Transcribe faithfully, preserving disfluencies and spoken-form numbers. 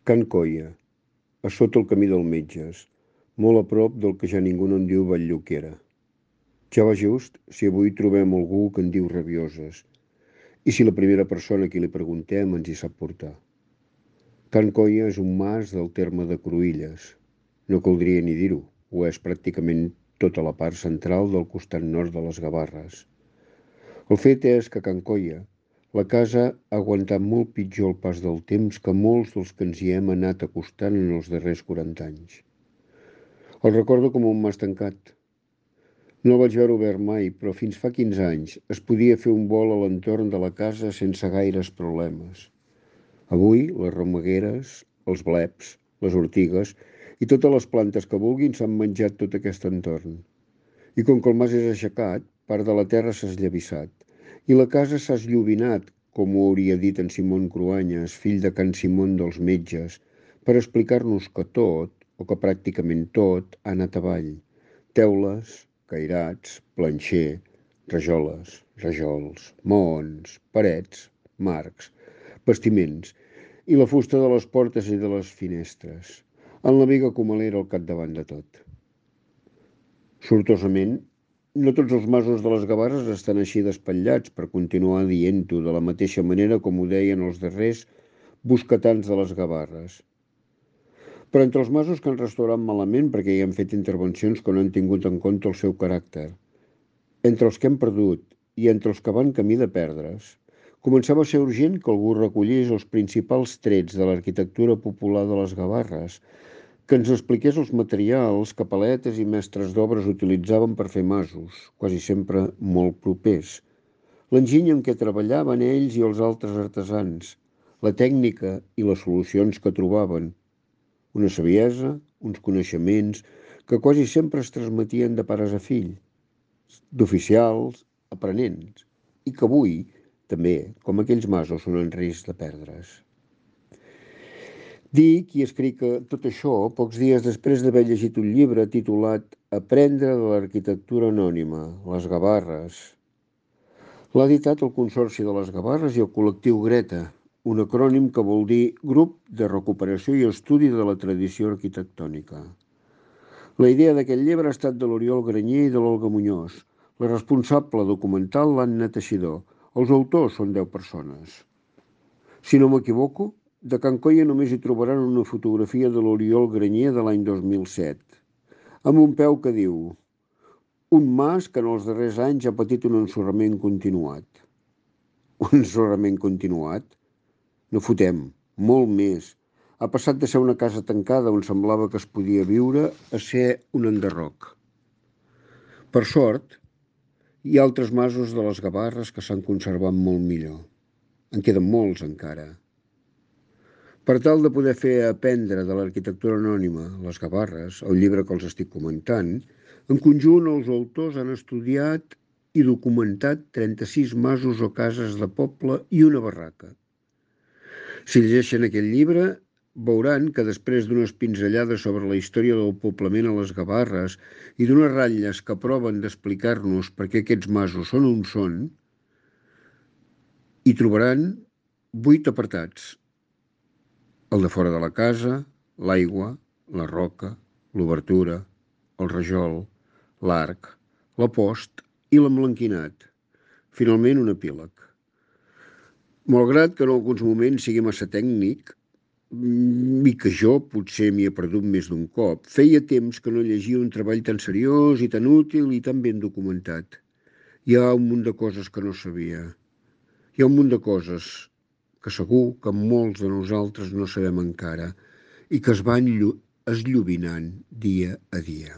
Can Coia, a sota el camí del Metges, molt a prop del que ja ningú no en diu Vall-lloquera. Ja va just si avui trobem algú que en diu Rabioses, i si la primera persona a qui li preguntem ens hi sap portar. Can Coia és un mas del terme de Cruïlles. No caldria ni dir-ho, ho és pràcticament tota la part central del costat nord de les Gavarres. El fet és que a Can Coia la casa ha aguantat molt pitjor el pas del temps que molts dels que ens hi hem anat acostant en els darrers quaranta anys. El recordo com un mas tancat. No el vaig veure obert mai, però fins fa quinze anys es podia fer un vol a l'entorn de la casa sense gaires problemes. Avui, les romegueres, els bleps, les ortigues i totes les plantes que vulguin s'han menjat tot aquest entorn. I com que el mas és aixecat, part de la terra s'ha esllavissat i la casa s'ha esllobinat, com ho hauria dit en Simón Cruanyes, fill de Can Simón dels Metges, per explicar-nos que tot, o que pràcticament tot, ha anat avall. Teules, cairats, planxer, rajoles, rajols, maons, parets, marcs, bastiments i la fusta de les portes i de les finestres, en la viga comalera al capdavant de tot. Sortosament, no tots els masos de les Gavarres estan així despatllats, per continuar dient-ho de la mateixa manera com ho deien els darrers bosquetans de les Gavarres. Però entre els masos que han restaurat malament perquè hi han fet intervencions que no han tingut en compte el seu caràcter, entre els que hem perdut i entre els que van camí de perdre's, començava a ser urgent que algú recollís els principals trets de l'arquitectura popular de les Gavarres, que ens expliqués els materials que paletes i mestres d'obres utilitzaven per fer masos, quasi sempre molt propers, l'enginy amb què treballaven ells i els altres artesans, la tècnica i les solucions que trobaven, una saviesa, uns coneixements que quasi sempre es transmetien de pares a fills, d'oficials, aprenents, i que avui, també, com aquells masos, són en risc de perdre's. Dic i escric tot això pocs dies després d'haver llegit un llibre titulat Aprendre de l'arquitectura anònima, les Gavarres. L'ha editat el Consorci de les Gavarres i el col·lectiu Greta, un acrònim que vol dir Grup de Recuperació i Estudi de la Tradició Arquitectònica. La idea d'aquest llibre ha estat de l'Oriol Granyer i de l'Olga Muñoz. La responsable documental, l'Anna Teixidor. Els autors són deu persones. Si no m'equivoco, de Can Coia només hi trobaran una fotografia de l'Oriol Granyer de l'any dos mil set, amb un peu que diu un mas que en els darrers anys ha patit un ensorrament continuat. Un ensorrament continuat? No fotem, molt més. Ha passat de ser una casa tancada on semblava que es podia viure a ser un enderroc. Per sort, hi ha altres masos de les Gavarres que s'han conservat molt millor. En queden molts encara. Per tal de poder fer aprendre de l'arquitectura anònima, les Gavarres, el llibre que els estic comentant, en conjunt els autors han estudiat i documentat trenta-sis masos o cases de poble i una barraca. Si llegeixen aquest llibre, veuran que després d'unes pinzellades sobre la història del poblament a les Gavarres i d'unes ratlles que proven d'explicar-nos per què aquests masos són on són, hi trobaran vuit apartats. El de fora de la casa, l'aigua, la roca, l'obertura, el rajol, l'arc, la post i l'emblanquinat. Finalment, un epíleg. Malgrat que en alguns moments sigui massa tècnic, i que jo potser m'hi he perdut més d'un cop, feia temps que no llegia un treball tan seriós i tan útil i tan ben documentat. Hi ha un munt de coses que no sabia. Hi ha un munt de coses que segur que molts de nosaltres no sabem encara i que es van esllobinant dia a dia.